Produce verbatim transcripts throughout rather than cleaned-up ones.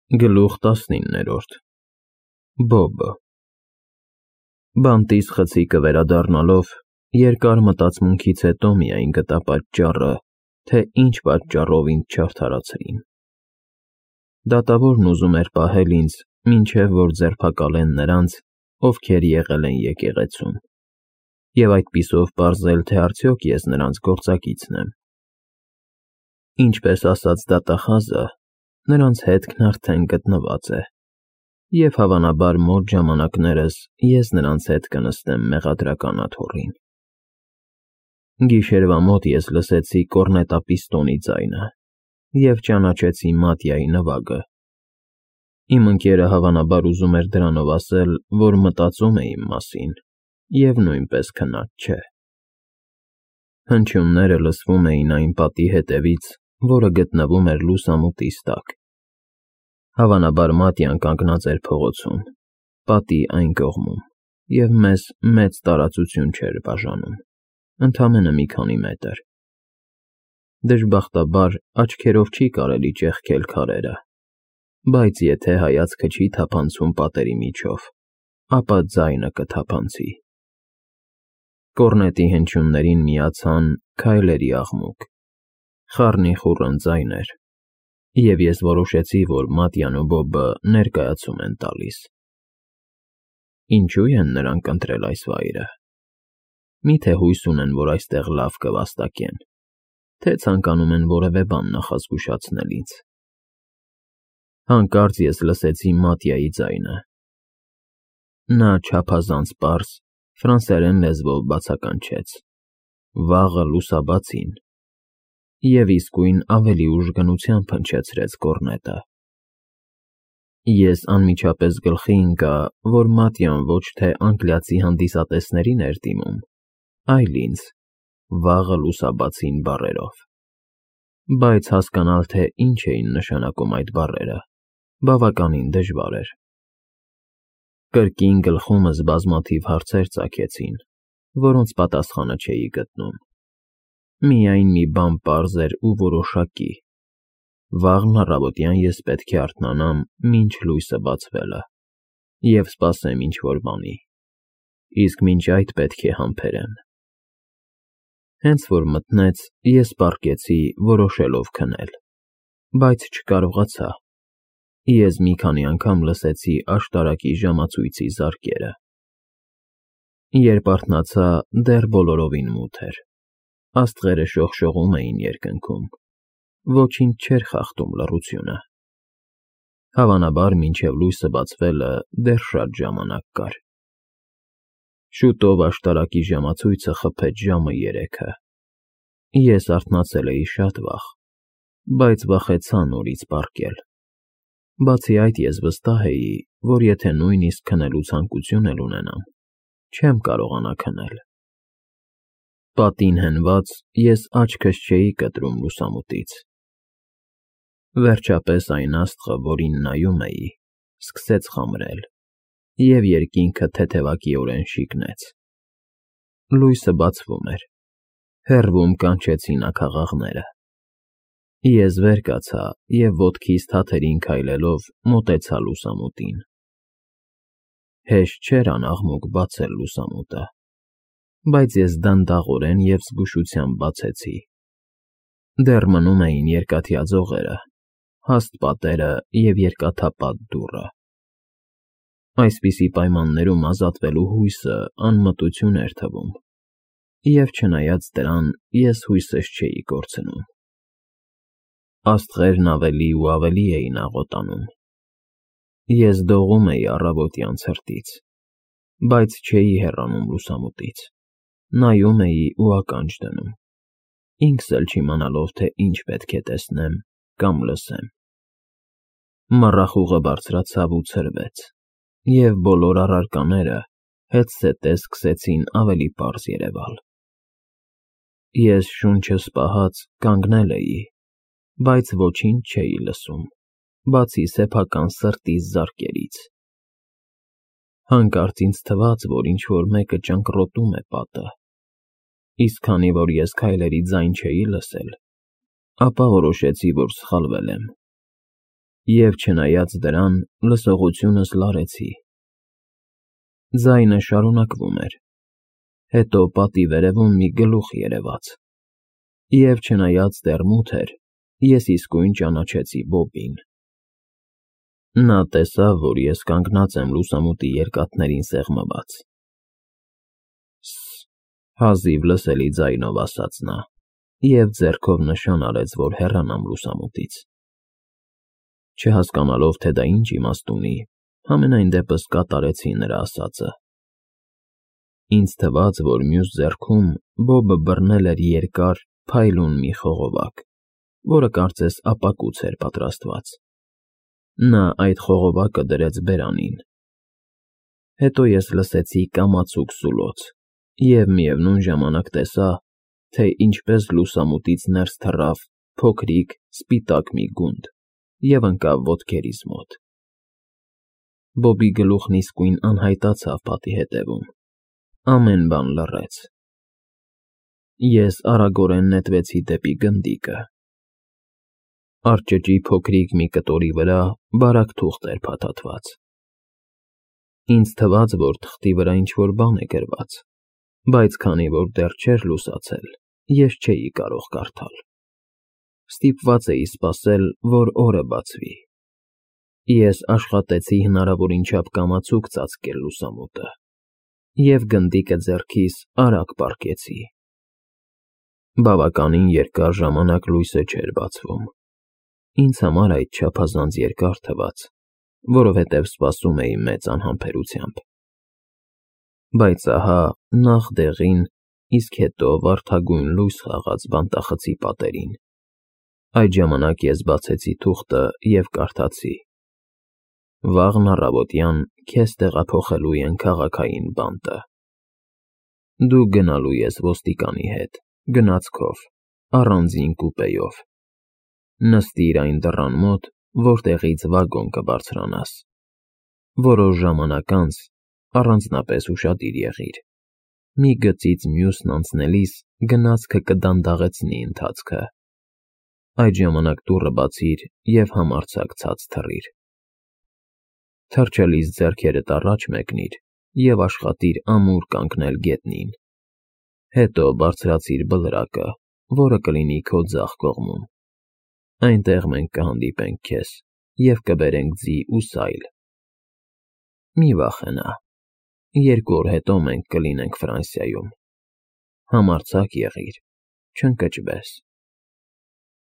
Գլուխ տասնիններորդ Բոբը Բանտից խցիկը վերադառնալով, երկար մտածմունքից հետո միայն գտա պատճառը, թե ինչ պատճառով ինձ չարդարացրին։ Դատավորն ուզում էր պահել ինձ, մինչև որ ձերբակալեն նրանց, ովքեր եղել են եկեղեցում, և այդպիսով պարզել, թե արդյոք ես նրանց գործակիցն եմ։ Ինչպես ասաց դատախազը, նրանց հետքն արդեն գտնված է, և հավանաբար մոտ ժամանակներս ես նրանց հետ կնստեմ մեղադրական աթոռին։ Գիշերվա մոտ ես լսեցի կոռնետապիստոնի ձայնը և ճանաչեցի Մատյայի նվագը։ Իմ ընկերը հավանաբար ուզում էր դրանով ասել, որ մտածում է իմ մասին և նույնպես քնած չէ։ Հնչյունները լսվում էին այն պատի հետևից, որը գտնվում էր լուսամուտից տակ։ Հավանաբար Մատյան կանգնած էր փողոցում, պատի այն կողմում, և մեզ մեծ տարածություն չէր բաժանում, ընդամենը մի քանի մետր։ Դժբախտաբար աչքերով չի կարելի ճեղքել քարերը, բայց եթե հայացքը չի թափանցում պատերի միջով, ապա ձայնը կթափանցի։ Կոռնետի հնչյուններին միացան քայլերի աղմուկ, խառնիխուռն ձայներ, և ես որոշեցի, որ Մատյան ու Բոբը ներկայացում են տալիս։ Ինչո՞ւ են նրանք ընտրել այս վայրը։ Մի՞թե հույս ունեն, որ այստեղ լավ կվաստակեն, թե ցանկանում են որևէ բան նախազգուշացնել ինձ։ Հանկարծ ես լսեցի Մատյայի ձայնը։ Նա չափազանց պարզ, ֆրանսերեն լեզվով բացականչեց. «Վաղը լուսաբացին», և իսկույն ավելի ուժգնությամբ հնչեցրեց կոռնետը։ Ես անմիջապես գլխի ընկա, որ Մատյան ոչ թե անգլիացի հանդիսատեսներին էր դիմում, այլ ինձ՝ «վաղը լուսաբացին» բառերով։ Բայց հասկանալ, թե ինչ էին նշանակում այդ բառերը, բավականին դժվար էր։ Կրկին գլխումս բազմաթիվ հարցեր ծագեցին, որոնց պատասխանը չէի գտնում։ Միայն մի բան պարզ էր ու որոշակի. վաղն առավոտյան ես պետք է արթնանամ մինչ լույսը բացվելը և սպասեմ ինչ֊որ բանի, իսկ մինչ այդ պետք է համբերեմ։ Հենց որ մթնեց, ես պառկեցի, որոշելով քնել, բայց չկարողացա։ Ես մի քանի անգամ լսեցի աշտարակի ժամացույցի զարկերը։ Երբ արթնացա, դեռ բոլորովին մութ էր, աստղերը շողշողում էին երկնքում, ոչինչ չէր խախտում լռությունը։ Հավանաբար մինչև լույսը բացվելը դեռ շատ ժամանակ կար։ Շուտով աշտարակի ժամացույցը խփեց ժամը երեքը։ Ես արթնացել էի շատ վաղ, բայց վախեցա նորից պառկել։ Բացի այդ, ես վստահ էի, որ եթե նույնիսկ քնելու ցանկություն էլ ունենամ, չեմ կարողանա քնել։ Պատին հենված, ես աչքս չէի կտրում լուսամուտից։ Վերջապես այն աստղը, որին նայում էի, սկսեց խամրել, և երկինքը թեթևակիորեն շիկնեց։ Լույսը բացվում էր, հեռվում կանչեցին աքաղաղները։ Ես վեր կացա և ոտքիս թաթերին քայլելով մոտեցա լուսամուտին։ Հեշտ չէր անաղմուկ բացել լուսամուտը, բայց ես դանդաղորեն և զգուշությամբ բացեցի։ Դեռ մնում էին երկաթյա ձողերը, հաստ պատերը և երկաթապատ դուռը։ Այսպիսի պայմաններում ազատվելու հույսը անմտություն էր թվում, և չնայած դրան, ես հույսս չէի կորցնում։ Աստղերն ավելի ու ավելի էին աղոտանում։ Ես դողում էի առավոտյան ցրտից, բայց չէի հեռանում լուսամուտից, նայում էի ու ականջ դնում, ինքս էլ չիմանալով, թե ինչ պետք է տեսնեմ կամ լսեմ։ Մառախուղը բարձրացավ ու ցրվեց, և բոլոր առարկաները հետզհետե սկսեցին ավելի պարզ երևալ։ Ես շունչս պահած կանգնել էի, բայց ոչինչ չէի լսում, բացի սեփական սրտիս զարկերից։ Հանկարծ ինձ թվաց, որ ինչ֊որ մեկը ճանկռոտում է պատը, իսկ քանի որ ես քայլերի ձայն չէի լսել, ապա որոշեցի, որ սխալվել եմ։ Եվ չնայած դրան, լսողությունս լարեցի։ Ձայնը շարունակվում էր, հետո պատի վերևում մի գլուխ երևաց, և չնայած դեռ մութ էր, ես իսկույն ճանաչեցի Բոբին։ Նա տեսավ, որ ես կանգնած եմ լուսամուտի երկաթներին սեղմված։ «Ս֊ս֊ս», հազիվ լսելի ձայնով ասաց նա, և ձեռքով նշան արեց, որ հեռանամ լուսամուտից։ Չհասկանալով, թե դա ինչ իմաստ ունի, համենայն դեպս կատարեցի նրա ասածը։ Ինձ թվաց, որ մյուս ձեռքում Բոբը բռնել էր երկար, փայլուն մի խողովակ, որը կարծես ապակուց էր պատրաստված։ Նա այդ խողովակը դրեց բերանին։ Հետո ես լսեցի կամացուկ սուլոց և միևնույն ժամանակ տեսա, թե ինչպես լուսամուտից ներս թռավ փոքրիկ, սպիտակ մի գունդ և ընկավ ոտքերիս մոտ։ Բոբի գլուխն իսկույն անհայտացավ պատի հետևում, ամեն բան լռեց։ Ես արագորեն նետվեցի դեպի գնդիկը։ Արջճի փոքրիկ մի կտորի վրա բարակ թուղթ էր փաթաթված։ Ինձ թվաց, որ թղթի վրա ինչ-որ բան է գրված, բայց քանի որ դեռ չէր լուսացել, ես չէի կարող կարդալ։ Ստիպված էի սպասել, որ օրը բացվի։ Ես աշխատեցի հնարավորին չափ կամացուկ ծածկել լուսամուտը և գնդիկը ձեռքիս արագ պառկեցի։ Բավականին երկար ժամանակ լույսը չէր բացվում։ Ինձ համար այդ չափազանց երկար թվաց, որովհետև սպասում էի մեծ անհամբերությամբ։ Բայց ահա, նախ դեղին, իսկ հետո վարդագույն լույս խաղաց բանտախցի պատերին։ Այդ ժամանակ ես բացեցի թուղթը և կարդացի. «Վաղն առավոտյան քեզ տեղափոխելու են քաղաքային բանտը։ Դու գնալու ես ոստիկանի հետ, գնացքով, առանձին կուպեյով։ Նստիր այն դռան մոտ, որտեղից վագոն կբարձրանաս։ Որոշ ժամանակ անց առանձնապես ուշադիր եղիր։ Մի գծից մյուսն անցնելիս գնացքը կդանդաղեցնի ընթացքը։ Այդ ժամանակ դուռը բացիր և համարձակ ցած թռիր։ Թռչելիս ձեռքերդ առաջ մեկնիր և աշխատիր ամուր կանգնել գետնին։ Հետո բարձրացիր բլրակը, որը կլինի քո ձախ կողմում։ Այնտեղ մենք կհանդիպենք քեզ և կբերենք ձի ու սայլ։ Մի վախենա, երկու օր հետո մենք կլինենք Ֆրանսիայում։ Համարձակ եղիր, չընկճվես։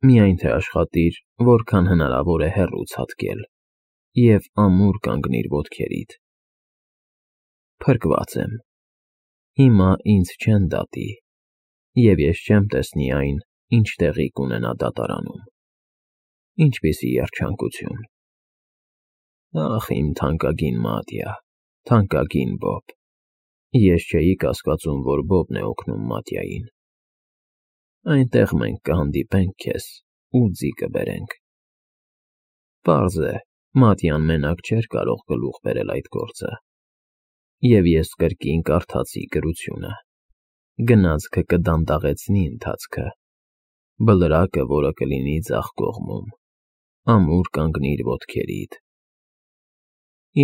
Միայն թե աշխատիր, որքան հնարավոր է հեռու ցատկել, և ամուր կանգնիր ոտքերիդ։ Փրկված եմ։ Հիմա ինձ չեն դատի, և ես չեմ տեսնի այն, ինչ տեղի կունենա դատարանում։ Ինչպիսի երջանկություն։ Ախ, իմ թանկագին Մատյա, թանկագին Բոբ։ Ես չէի կասկածում, որ Բոբն է օգնում Մատյային։ Այնտեղ մենք կհանդիպենք քեզ ու ձի կբերենք։ Պարզ է, Մատյան մենակ չէր կարող գլուխ բերել այդ գործը։ Եվ ես կրկին կարդացի գրությունը։ Գնացքը կդանդաղեցնի ընթացքը։ Բլրակը, որը կլինի ձախ կողմում։ Ամուր կանգնիր ոտքերիդ։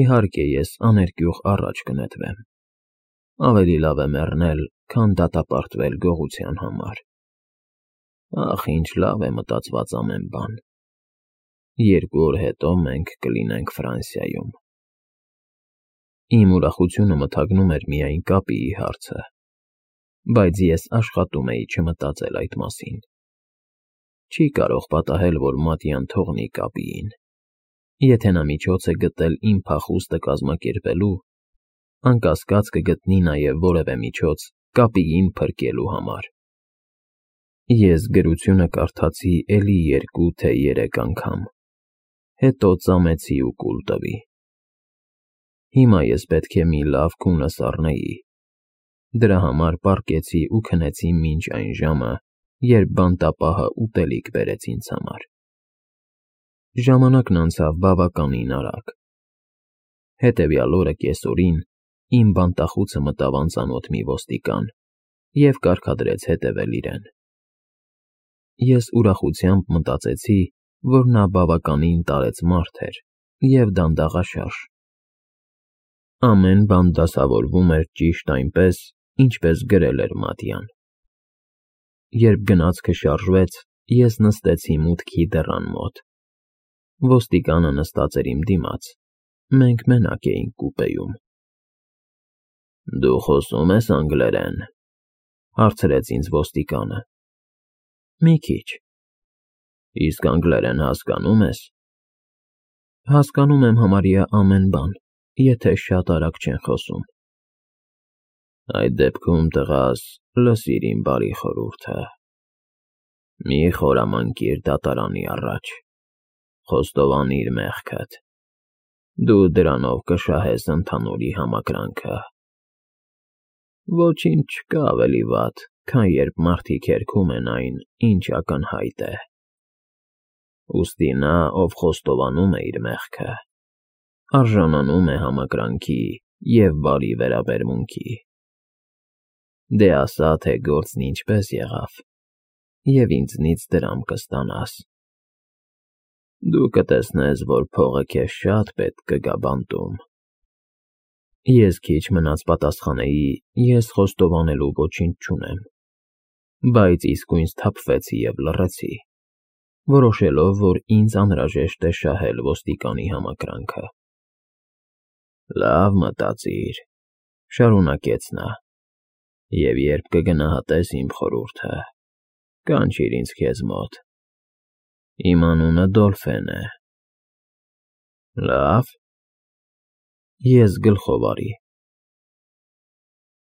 Իհարկե, ես աներկյուղ առաջ կնետվեմ։ Ավելի լավ է մեռնել, քան դատապարտվել գողության համար։ Ախ, ինչ լավ է մտածված ամեն բան։ Երկու օր հետո մենք կլինենք Ֆրանսիայում։ Իմ ուրախությունը մթագնում էր միայն կապիի հարցը, բայց ես աշխատում էի չմտածել այդ մասին։ Չի կարող պատահել, որ Մատյան թողնի կապիին։ Եթե նա միջոց է գտել իմ փախուստը կազմակերպելու, անկասկած կգտնի նաև որևէ միջոց կապիին փրկելու համար։ Ես գրությունը կարդացի էլի երկու, թե երեք անգամ, հետո ծամեցի ու կուլ տվի։ Հիմա ես պետք է մի լավ քունս առնեի։ Դրա համար պառկեցի ու քնեցի մինչ այն ժամը, երբ բանտապահը ուտելիք բերեց ինձ համար։ Ժամանակն անցավ բավականին արագ։ Հետևյալ օրը կեսօրին իմ բանտախուցը մտավ անծանոթ մի ոստիկան և կարգադրեց հետևել իրեն։ Ես ուրախությամբ մտածեցի, որ նա բավականին տարեց մարդ էր և դանդաղաշարժ։ Ամեն բան դասավորվում էր ճիշտ այնպես, ինչպես գրել էր Մատյան։ Երբ գնացքը շարժվեց, ես նստեցի մուտքի դռան մոտ։ Ոստիկանը նստած էր իմ դիմաց, մենք մենակ էինք կուպեում։ ֊ Դու խոսում ես անգլերեն,֊ հարցրեց ինձ ոստիկանը։ ֊ Մի քիչ։ ֊ Իսկ անգլերեն հասկանո՞ւմ ես։ ֊ Հասկանում եմ համարյա ամեն բան, եթե շատ արագ չեն խոսում։ ֊ Այդ դեպքում, տղաս, լսիր իմ բարի խորհուրդը. մի խորամանկիր դատարանի առաջ, խոստովանիր մեղքդ, դու դրանով կշահես ընդհանուրի համակրանքը։ Ոչինչ չկա ավելի վատ, քան երբ մարդիկ երգում են այն, ինչ ակնհայտ է։ Ուստի նա, ով խոստովանում է իր մեղքը, արժանանում է համակրանքի և բարի վերաբերմունքի։ Դե ասա, թե գործն ինչպես եղավ, և ինձնից դրամ կստանաս։ Դու կտեսնես, որ փողը քեզ շատ պետք կգա բանտում։ Ես քիչ մնաց պատասխանեի՝ ես խոստովանելու ոչինչ չունեմ, բայց իսկույն սթափվեցի և լռեցի, որոշելով, որ ինձ անհրաժեշտ է շահել ոստիկանի համակրանքը։ Լավ մտածիր,֊ շարունակեց նա,֊ և երբ կգնահատես իմ խորհուրդը, կանչիր ինձ քեզ մոտ։ Իմ անունը Դոլֆեն է։ Լավ։ Ես գլխով արի։